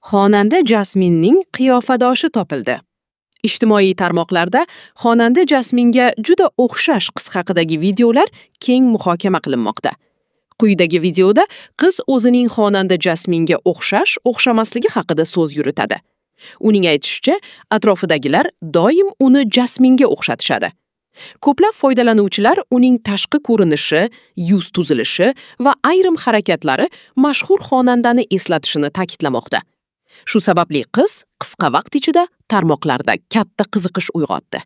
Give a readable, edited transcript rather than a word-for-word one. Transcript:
Xonanda Jasminning qiyofadoshi topildi. Ijtimoiy tarmoqlarda xonanda Jasminga juda o'xshash qiz haqidagi videolar keng muhokama qilinmoqda. Quyidagi videoda qiz o'zining xonanda Jasminga o'xshash, o'xshamasligi haqida so'z yuritadi. Uning aytishicha, atrofidagilar doim uni Jasminga o'xshatishadi. Ko'plab foydalanuvchilar uning tashqi ko'rinishi, yuz tuzilishi va ayrim harakatlari mashhur xonandani eslatishini ta'kidlamoqda. Shu sababli qiz qisqa vaqt ichida tarmoqlarda katta qiziqish uyg'otdi.